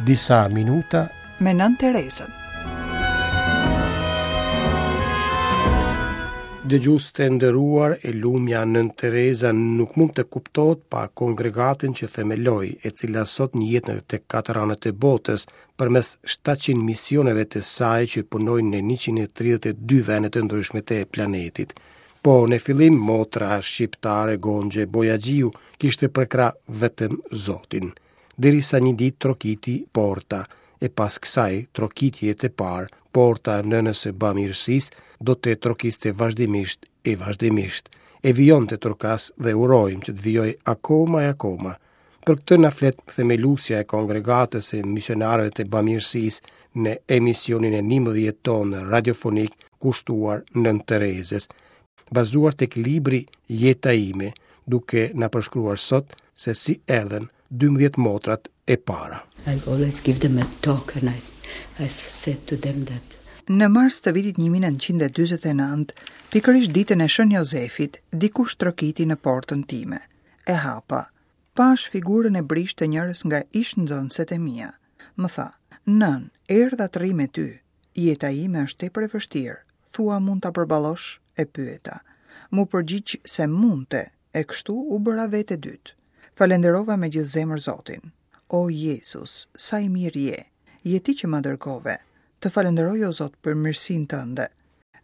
Disa minuta me Nënë Terezën. Dëgjues të nderuar, e lumja Nënë Tereza nuk mund të kuptohet pa kongregatën që themeloi, e cila sot njihet në të katër anët e botës, përmes 700 misioneve të saj që punojnë në 132 vende të ndryshme të planetit. Po në fillim motra shqiptare Gonxhe Bojaxhiu kishte përkrah vetëm Zotin. Derisa një ditë trokiti porta, e pas kësaj trokitjeje të parë, porta e nënës së bamirësisë do të trokiste vazhdimisht e vazhdimisht, e vijon të trokasë dhe urojmë që të vijojë akoma e akoma. Për këtë na flet themeluesja e kongregatës së misionarëve të bamirësisë në emisionin e 11 tonë radiofonik kushtuar Nënë Terezës, bazuar tek libri Jeta ime, duke na përshkruar sot se si erdhën 12 motrat e para. I always give them a talk and I, I said to them that Në mars të vitit 1949, pikërisht ditën e Shën Jozefit, dikush trokiti në portën time. E hapa. Pashë figurën e brishtë të njërës nga ish-nxënëset e mia. Më tha, Nënë, erdha të rri me ty. Jeta ime është tepër e vështirë. Thua mund ta përballosh? E pyeta. M'u përgjigj se mundte, e kështu u bëra vetë e dytë. Falenderova me gjithë zemër Zotin. O Jezus, sa i mirë je! Je ti që ma dërgove. Të falenderoj o Zot për mirësinë tënde.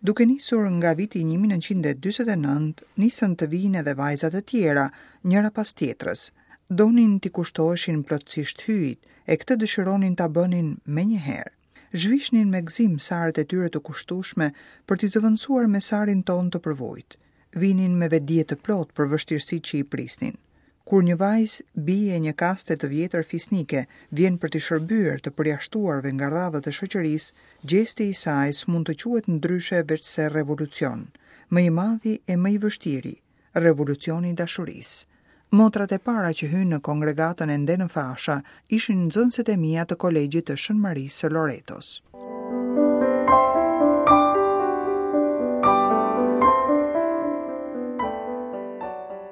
Duke nisur nga viti 1949, nisën të vijnë edhe vajza të tjera, njëra pas tjetrës. Donin t'i kushtoheshin plotësisht Hyjit, e këtë dëshironin ta bënin menjëherë. Zhvishnin me gëzim saret e tyre të kushtueshme për t'i zëvendësuar me sarin tonë të përvujtë. Vinin me vetëdije të plotë për vështirësitë që i prisnin. Kur një vajzë, bijë e një kaste të vjetër fisnike, vjen për t'i shërbyer të përjashtuarve nga radhët e shoqërisë, gjesti i saj s'mund të quhet ndryshe veçse revolucion, më i madhi e më i vështiri, Revolucioni i dashurisë. Motrat e para që hynë në kongregatën ende në fasha ishin nxënëset e mia të Kolegjit të Shën Marisë së Loretos.